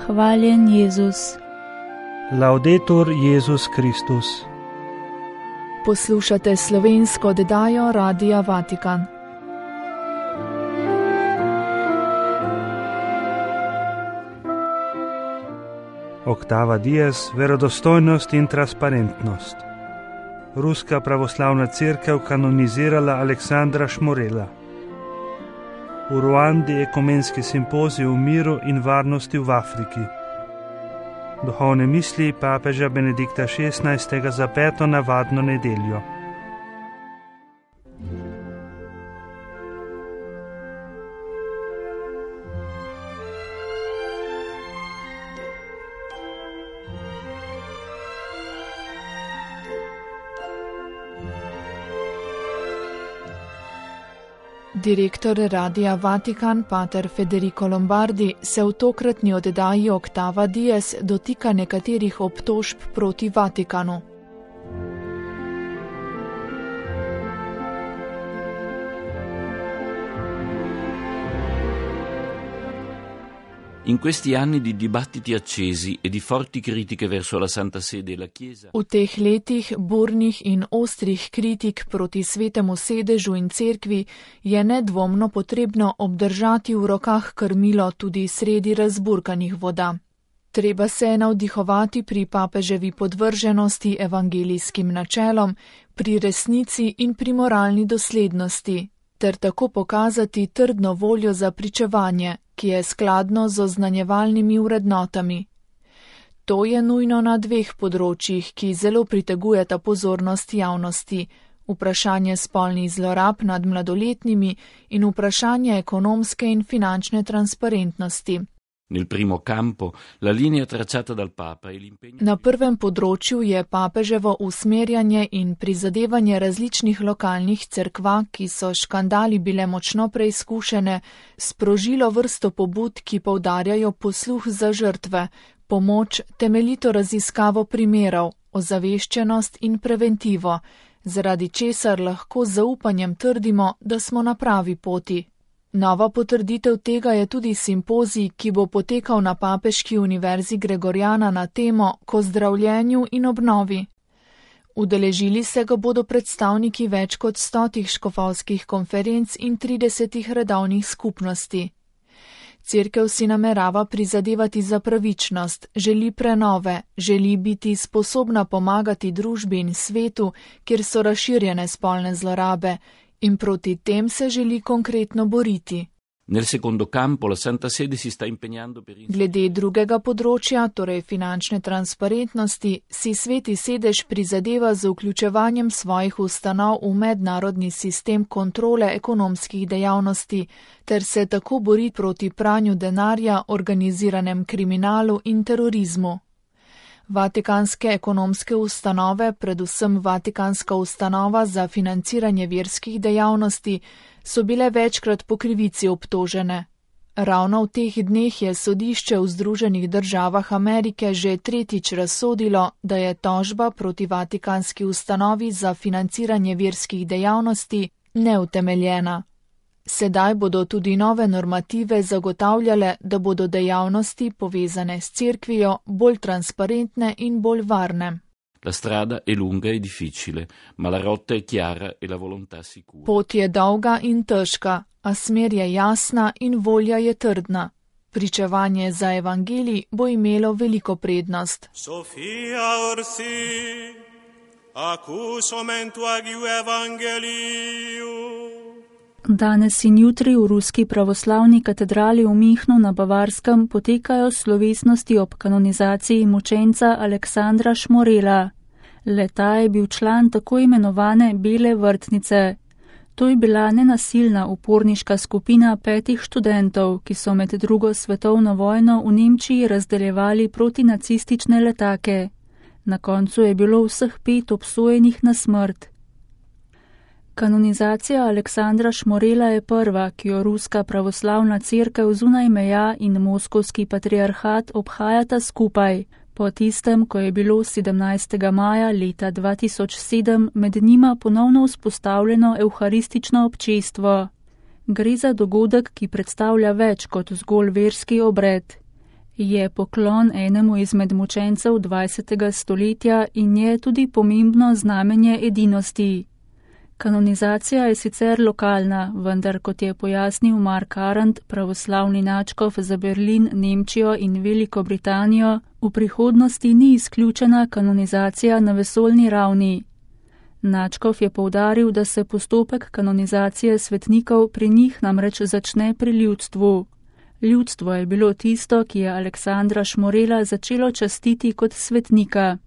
Hvaljen Jezus. Laudetur Jezus Kristus. Poslušate slovensko oddajo Radia Vatikan. Octava dies, verodostojnost in transparentnost. Ruska pravoslavna cerkev kanonizirala Aleksandra Šmorela. V Ruandi ekumenski simpozij o miru in varnosti v Afriki. Duhovne misli papeža Benedikta XVI. Za 5. navadno nedeljo. Direktor Radia Vatikan, pater Federico Lombardi, se v tokratni oddaji Octava dies dotika nekaterih obtožb proti Vatikanu. In questi anni di dibattiti accesi e di forti critiche verso la Santa Sede e la Chiesa. V teh letih burnih in ostrih kritik proti svetemu sedežu in cerkvi je nedvomno potrebno obdržati v rokah krmilo tudi sredi razburkanih voda. Treba se je navdihovati pri papeževi podvrženosti evangelijskim načelom, pri resnici in pri moralni doslednosti, ter tako pokazati trdno voljo za pričevanje, ki je skladno z oznanjevalnimi vrednotami. To je nujno na dveh področjih, ki zelo pritegujeta pozornost javnosti: vprašanje spolnih zlorab nad mladoletnimi in vprašanje ekonomske in finančne transparentnosti. Nel primo campo, la linea tracciata dal Papa e l'impegno. Na prvem področju je papeževo usmerjanje in prizadevanje različnih lokalnih cerkva, ki so škandali bile močno preizkušene, sprožilo vrsto pobud, ki poudarjajo posluh za žrtve, pomoč, temeljito raziskavo primerov, ozaveščenost in preventivo, zaradi česar lahko z zaupanjem trdimo, da smo na pravi poti. Nova potrditev tega je tudi simpozij, ki bo potekal na Papeški univerzi Gregoriana na temo o zdravljenju in obnovi. Udeležili se ga bodo predstavniki več kot 100 škofovskih konferenc in 30 redovnih skupnosti. Cerkev si namerava prizadevati za pravičnost, želi prenove, želi biti sposobna pomagati družbi in svetu, kjer so razširjene spolne zlorabe, in proti tem se želi konkretno boriti. Nel secondo campo, la Santa Sede si sta impegnando per. Glede drugega področja, torej finančne transparentnosti, si sveti sedež prizadeva z vključevanjem svojih ustanov v mednarodni sistem kontrole ekonomskih dejavnosti, ter se tako bori proti pranju denarja, organiziranem kriminalu in terorizmu. Vatikanske ekonomske ustanove, predvsem Vatikanska ustanova za financiranje verskih dejavnosti, so bile večkrat po krivici obtožene. Ravno v teh dneh je sodišče v Združenih državah Amerike že tretjič razsodilo, da je tožba proti Vatikanski ustanovi za financiranje verskih dejavnosti neutemeljena. Sedaj bodo tudi nove normative zagotavljale, da bodo dejavnosti povezane s cerkvijo bolj transparentne in bolj varne. La strada è lunga e difficile, ma la rotta è chiara e la volontà sicura. Pot je dolga in težka, a smer je jasna in volja je trdna. Pričevanje za evangelij bo imelo veliko prednost. Sofia orsi, acus momentu agiu evangeliu. Danes in jutri v Ruski pravoslavni katedrali v Münchnu na Bavarskem potekajo slovesnosti ob kanonizaciji mučenca Aleksandra Šmorela. Le-ta je bil član tako imenovane Bele vrtnice. To je bila nenasilna uporniška skupina 5 študentov, ki so med drugo svetovno vojno v Nemčiji razdeljevali protinacistične letake. Na koncu je bilo vseh 5 obsojenih na smrt. Kanonizacija Aleksandra Šmorela je prva, ki jo Ruska pravoslavna cerkev zunaj meja in Moskovski patriarhat obhajata skupaj, po tistem, ko je bilo 17. maja leta 2007 med njima ponovno vzpostavljeno evharistično občestvo. Gre za dogodek, ki predstavlja več kot zgolj verski obred. Je poklon enemu izmed mučencev 20. stoletja in je tudi pomembno znamenje edinosti. Kanonizacija je sicer lokalna, vendar, kot je pojasnil Mark Arendt, pravoslavni nadškof za Berlin, Nemčijo in Veliko Britanijo, v prihodnosti ni izključena kanonizacija na vesoljni ravni. Nadškof je poudaril, da se postopek kanonizacije svetnikov pri njih namreč začne pri ljudstvu. Ljudstvo je bilo tisto, ki je Aleksandra Šmorela začelo častiti kot svetnika.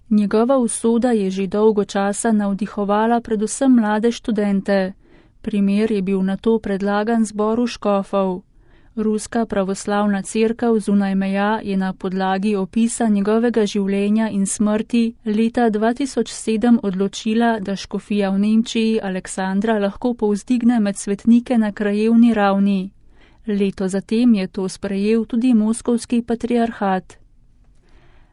Njegova usoda je že dolgo časa navdihovala predvsem mlade študente. Primer je bil nato predlagan zboru škofov. Ruska pravoslavna cerkev zunaj meja je na podlagi opisa njegovega življenja in smrti leta 2007 odločila, da škofija v Nemčiji Aleksandra lahko povzdigne med svetnike na krajevni ravni. Leto zatem je to sprejel tudi moskovski patriarhat.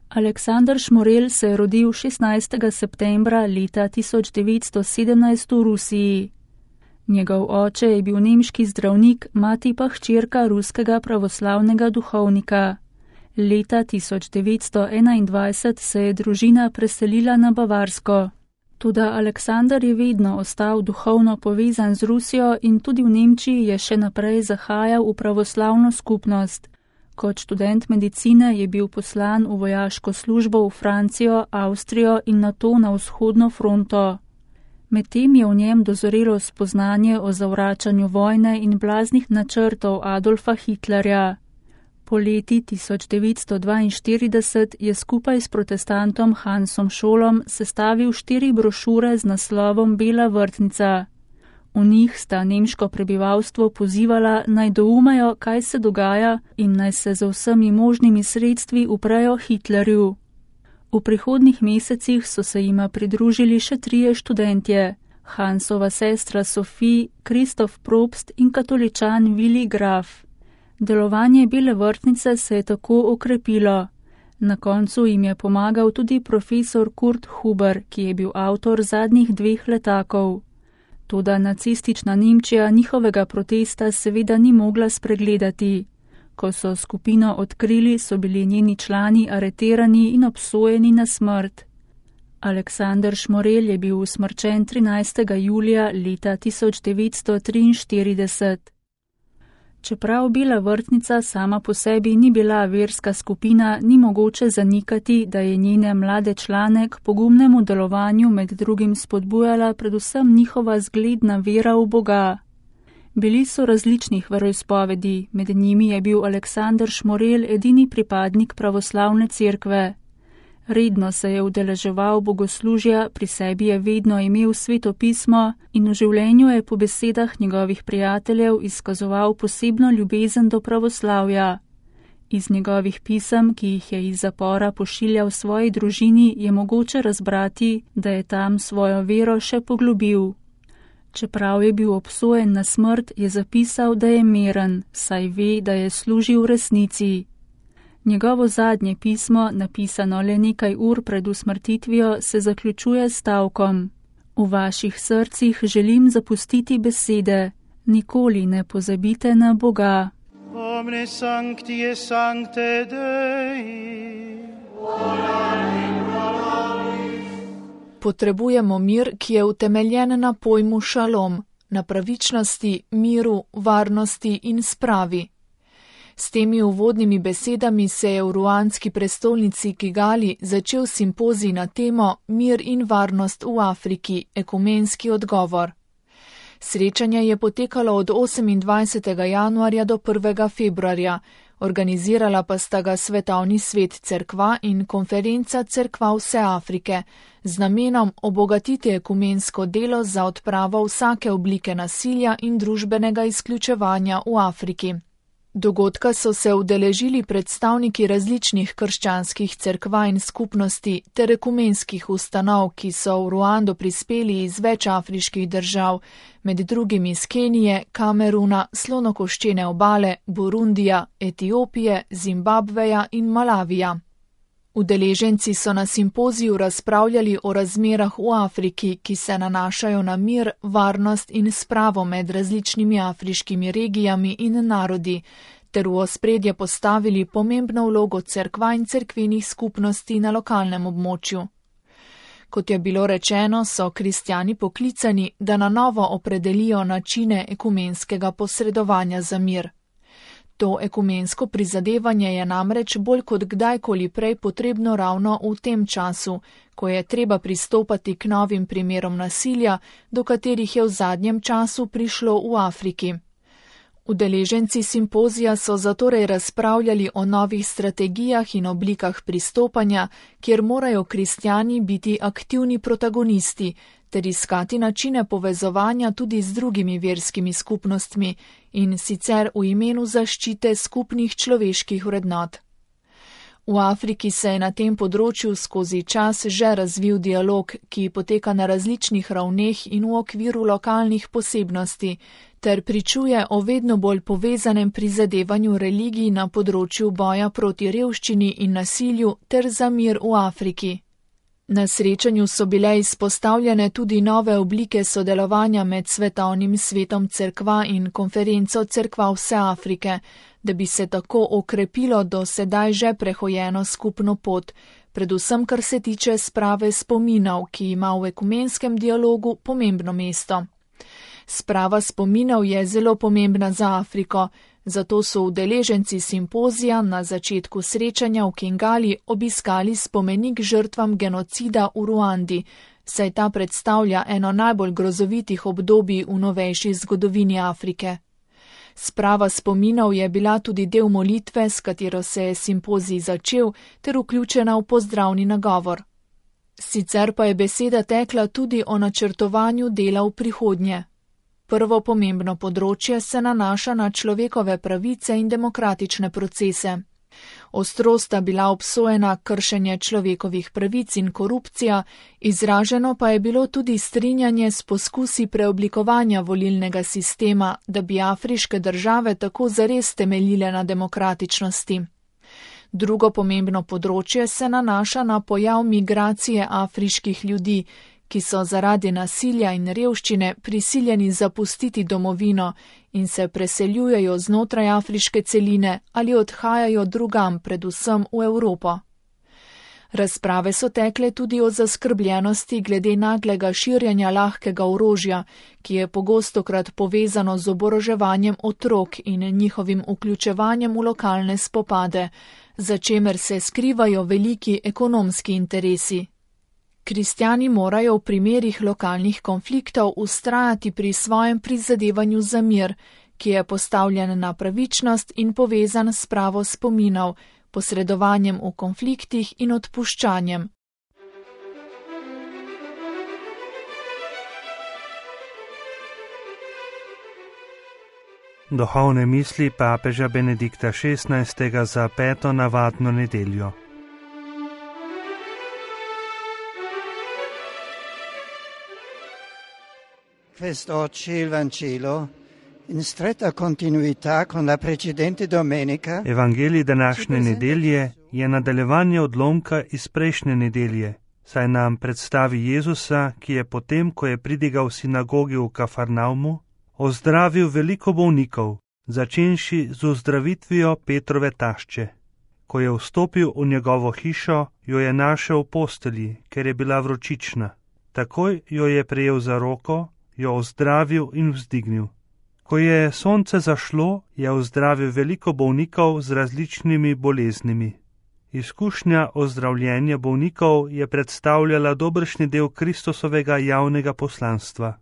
Aleksandar Šmorel se je rodil 16. septembra leta 1917 v Rusiji. Njegov oče je bil nemški zdravnik, mati pa hčerka ruskega pravoslavnega duhovnika. Leta 1921 se je družina preselila na Bavarsko. Toda Aleksandar je vedno ostal duhovno povezan z Rusijo in tudi v Nemčiji je še naprej zahajal v pravoslavno skupnost. Kot študent medicine je bil poslan v vojaško službo v Francijo, Avstrijo in nato na vzhodno fronto. Medtem je v njem dozorelo spoznanje o zavračanju vojne in blaznih načrtov Adolfa Hitlerja. Poleti 1942 je skupaj s protestantom Hansom Scholom sestavil 4 brošure z naslovom Bela vrtnica. V njih sta nemško prebivalstvo pozivala, naj doumejo, kaj se dogaja in naj se z vsemi možnimi sredstvi uprejo Hitlerju. V prihodnjih mesecih so se jima pridružili še 3 študentje, Hansova sestra Sophie, Kristof Probst in katoličan Willi Graf. Delovanje Bele vrtnice se je tako okrepilo. Na koncu jim je pomagal tudi profesor Kurt Huber, ki je bil avtor zadnjih 2 letakov. Toda nacistična Nemčija njihovega protesta seveda ni mogla spregledati. Ko so skupino odkrili, so bili njeni člani areterani in obsojeni na smrt. Aleksandar Šmorel je bil usmrčen 13. julija leta 1943. Čeprav Bela vrtnica sama po sebi ni bila verska skupina, ni mogoče zanikati, da je njene mlade člane k pogumnemu delovanju med drugim spodbujala predvsem njihova zgledna vera v Boga. Bili so različnih veroizpovedi, med njimi je bil Aleksandar Šmorel edini pripadnik pravoslavne cerkve. Redno se je udeleževal bogoslužja, pri sebi je vedno imel Sveto pismo in v življenju je po besedah njegovih prijateljev izkazoval posebno ljubezen do pravoslavja. Iz njegovih pisem, ki jih je iz zapora pošiljal svoji družini, je mogoče razbrati, da je tam svojo vero še poglobil. Čeprav je bil obsojen na smrt, je zapisal, da je miren, saj ve, da je služil v resnici. Njegovo zadnje pismo, napisano le nekaj ur pred usmrtitvijo, se zaključuje s stavkom: V vaših srcih želim zapustiti besede, nikoli ne pozabite na Boga. Omne sancti sancte Dei. Potrebujemo mir, ki je utemeljen na pojmu šalom, na pravičnosti, miru, varnosti in spravi. S temi uvodnimi besedami se je v ruandski prestolnici Kigali začel simpozij na temo Mir in varnost v Afriki, ekumenski odgovor. Srečanje je potekalo od 28. januarja do 1. februarja, organizirala pa sta ga Svetovni svet cerkva in konferenca cerkva vse Afrike, z namenom obogatiti ekumensko delo za odpravo vsake oblike nasilja in družbenega izključevanja v Afriki. Dogodka so se udeležili predstavniki različnih krščanskih cerkva in skupnosti ter ekumenskih ustanov, ki so v Ruando prispeli iz več afriških držav, med drugim iz Kenije, Kameruna, Slonokoščene obale, Burundija, Etiopije, Zimbabveja in Malavija. Udeleženci so na simpoziju razpravljali o razmerah v Afriki, ki se nanašajo na mir, varnost in spravo med različnimi afriškimi regijami in narodi, ter v ospredje postavili pomembno vlogo cerkva in cerkvenih skupnosti na lokalnem območju. Kot je bilo rečeno, so kristjani poklicani, da na novo opredelijo načine ekumenskega posredovanja za mir. To ekumensko prizadevanje je namreč bolj kot kdajkoli prej potrebno ravno v tem času, ko je treba pristopati k novim primerom nasilja, do katerih je v zadnjem času prišlo v Afriki. Udeleženci simpozija so zatorej razpravljali o novih strategijah in oblikah pristopanja, kjer morajo kristjani biti aktivni protagonisti, ter iskati načine povezovanja tudi z drugimi verskimi skupnostmi in sicer v imenu zaščite skupnih človeških vrednot. V Afriki se je na tem področju skozi čas že razvil dialog, ki poteka na različnih ravneh in v okviru lokalnih posebnosti, ter pričuje o vedno bolj povezanem prizadevanju religij na področju boja proti revščini in nasilju ter za mir v Afriki. Na srečanju so bile izpostavljene tudi nove oblike sodelovanja med Svetovnim svetom cerkva in konferenco cerkva vse Afrike, da bi se tako okrepilo do sedaj že prehojeno skupno pot, predvsem kar se tiče sprave spominov, ki ima v ekumenskem dialogu pomembno mesto. Sprava spominov je zelo pomembna za Afriko, zato so udeleženci simpozija na začetku srečanja v Kingali obiskali spomenik žrtvam genocida v Ruandi, saj ta predstavlja eno najbolj grozovitih obdobij v novejši zgodovini Afrike. Sprava spominov je bila tudi del molitve, s katero se je simpozij začel, ter vključena v pozdravni nagovor. Sicer pa je beseda tekla tudi o načrtovanju dela v prihodnje. Prvo pomembno področje se nanaša na človekove pravice in demokratične procese. Ostro sta bila obsojena kršenje človekovih pravic in korupcija, izraženo pa je bilo tudi strinjanje s poskusi preoblikovanja volilnega sistema, da bi afriške države tako zares temeljile na demokratičnosti. Drugo pomembno področje se nanaša na pojav migracije afriških ljudi, ki so zaradi nasilja in revščine prisiljeni zapustiti domovino in se preseljujejo znotraj afriške celine ali odhajajo drugam, predvsem v Evropo. Razprave so tekle tudi o zaskrbljenosti glede naglega širjenja lahkega orožja, ki je pogostokrat povezano z oboroževanjem otrok in njihovim vključevanjem v lokalne spopade, za čemer se skrivajo veliki ekonomski interesi. Kristjani morajo v primerih lokalnih konfliktov vztrajati pri svojem prizadevanju za mir, ki je postavljen na pravičnost in povezan s spravo spominov, posredovanjem v konfliktih in odpuščanjem. Duhovne misli papeža Benedikta XVI. Za 5. navadno nedeljo. Quest'oggi il Vangelo, in stretta continuità con la precedente domenica, Evangelij današnje nedelje je nadaljevanje odlomka iz prejšnje nedelje, saj nam predstavi Jezusa, ki je potem, ko je pridigal v sinagogi v Kafarnaumu, ozdravil veliko bolnikov, začenši z ozdravitvijo Petrove tašče. Ko je vstopil v njegovo hišo, jo je našel v postelji, ker je bila vročična. Takoj jo je prejel za roko, jo ozdravil in vzdignil. Ko je sonce zašlo, je ozdravil veliko bolnikov z različnimi boleznimi. Izkušnja ozdravljenja bolnikov je predstavljala dobršni del Kristusovega javnega poslanstva.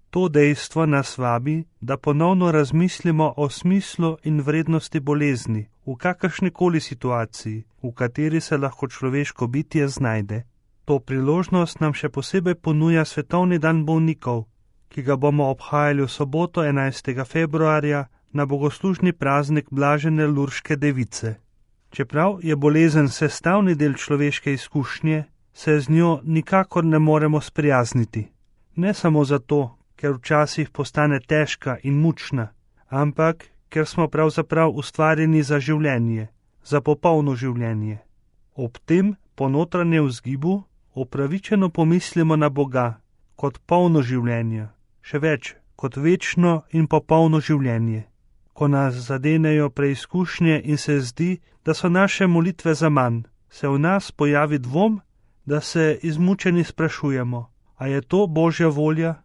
To dejstvo nas vabi, da ponovno razmislimo o smislu in vrednosti bolezni v kakršnikoli situaciji, v kateri se lahko človeško bitje znajde. To priložnost nam še posebej ponuja Svetovni dan bolnikov, ki ga bomo obhajali v soboto 11. februarja na bogoslužni praznik Blažene Lurške device. Čeprav je bolezen sestavni del človeške izkušnje, se z njo nikakor ne moremo sprijazniti. Ne samo zato, ker včasih postane težka in mučna, ampak ker smo pravzaprav ustvarjeni za življenje, za popolno življenje. Ob tem po notranjem vzgibu upravičeno pomislimo na Boga kot polno življenje, še več kot večno in popolno življenje. Ko nas zadenejo preizkušnje in se zdi, da so naše molitve zaman, se v nas pojavi dvom, da se izmučeni sprašujemo, a je to Božja volja?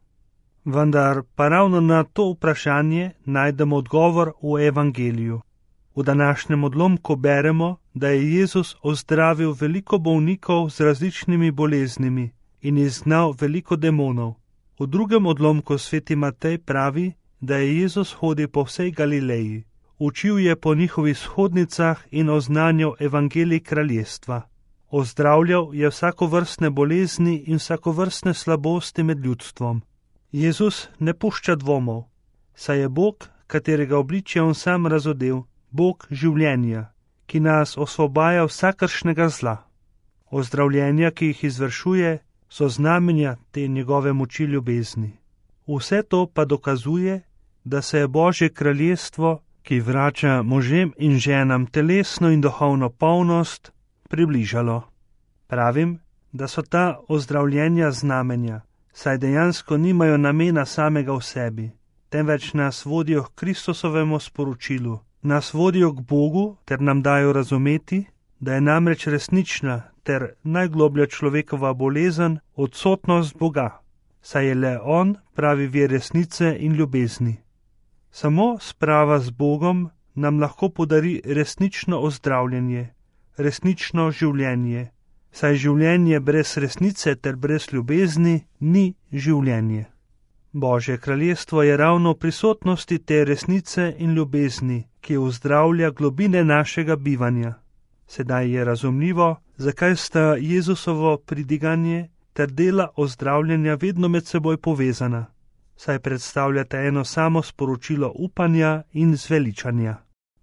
Vendar pa ravno na to vprašanje najdemo odgovor v Evangeliju. V današnjem odlomku beremo, da je Jezus ozdravil veliko bolnikov z različnimi boleznimi in izgnal veliko demonov. V drugem odlomku sveti Matej pravi, da je Jezus hodil po vsej Galileji. Učil je po njihovih shodnicah in oznanjal evangelij kraljestva. Ozdravljal je vsakovrstne bolezni in vsakovrstne slabosti med ljudstvom. Jezus ne pušča dvomov, saj je Bog, katerega obličje on sam razodel, Bog življenja, ki nas osvobaja vsakršnega zla. Ozdravljenja, ki jih izvršuje, so znamenja te njegove moči ljubezni. Vse to pa dokazuje, da se je Božje kraljestvo, ki vrača možem in ženam telesno in duhovno polnost, približalo. Pravim, da so ta ozdravljenja znamenja, saj dejansko nimajo namena samega v sebi, temveč nas vodijo k Kristusovemu sporočilu, nas vodijo k Bogu ter nam dajo razumeti, da je namreč resnična ter najgloblja človekova bolezen odsotnost Boga, saj je le On pravi vir resnice in ljubezni. Samo sprava z Bogom nam lahko podari resnično ozdravljenje, resnično življenje, saj življenje brez resnice ter brez ljubezni ni življenje. Božje kraljestvo je ravno v prisotnosti te resnice in ljubezni, ki ozdravlja globine našega bivanja. Sedaj je razumljivo, zakaj sta Jezusovo pridiganje ter dela ozdravljanja vedno med seboj povezana, saj predstavljata eno samo sporočilo upanja in zveličanja.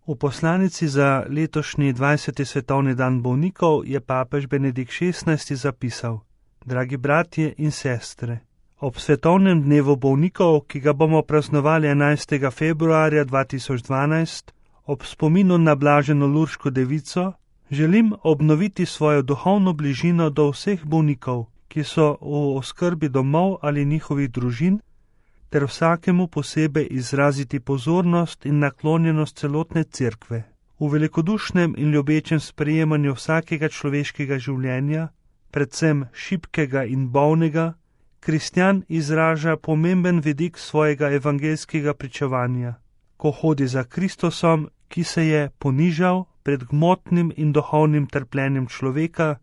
V poslanici za letošnji 20. svetovni dan bolnikov je papež Benedikt XVI. Zapisal: Dragi bratje in sestre, ob svetovnem dnevu bolnikov, ki ga bomo praznovali 11. februarja 2012, ob spominu na blaženo Lurško devico, želim obnoviti svojo duhovno bližino do vseh bolnikov, ki so v oskrbi domov ali njihovih družin, ter vsakemu posebej izraziti pozornost in naklonjenost celotne cerkve. V velikodušnem in ljubečem sprejemanju vsakega človeškega življenja, predvsem šibkega in bolnega, kristjan izraža pomemben vidik svojega evangeljskega pričevanja, ko hodi za Kristusom, ki se je ponižal pred gmotnim in duhovnim trpljenjem človeka,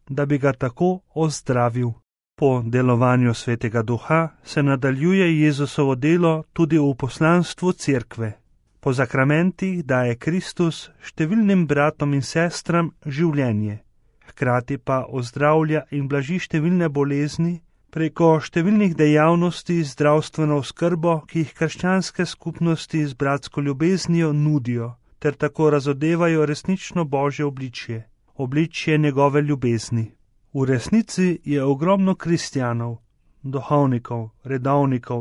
da bi ga tako ozdravil. Po delovanju Svetega Duha se nadaljuje Jezusovo delo tudi v poslanstvu cerkve. Po zakramentih daje Kristus številnim bratom in sestram življenje, hkrati pa ozdravlja in blaži številne bolezni preko številnih dejavnosti zdravstveno oskrbo, ki jih krščanske skupnosti z bratsko ljubeznijo nudijo, ter tako razodevajo resnično Božje obličje, obličje njegove ljubezni. V resnici je ogromno kristjanov, duhovnikov,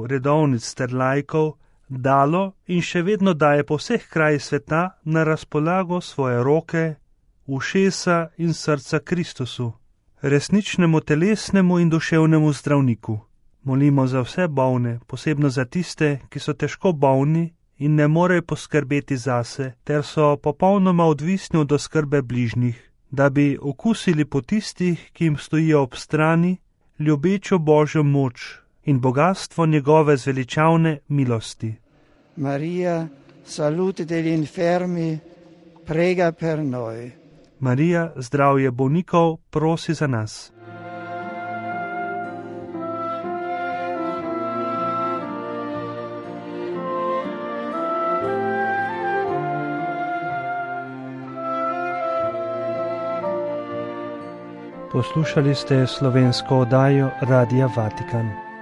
redovnic ter laikov dalo in še vedno daje po vseh krajih sveta na razpolago svoje roke, ušesa in srca Kristusu, resničnemu telesnemu in duševnemu zdravniku. Molimo za vse bolne, posebno za tiste, ki so težko bolni in ne morejo poskrbeti zase, ter so popolnoma odvisni od oskrbe bližnjih, da bi okusili po tistih, ki jim stojijo ob strani, ljubečo Božjo moč in bogatstvo njegove zveličavne milosti. Maria, salute degli infermi, prega per noi. Marija, zdravje bolnikov, prosi za nas. Poslušali ste slovensko oddajo Radia Vatikan.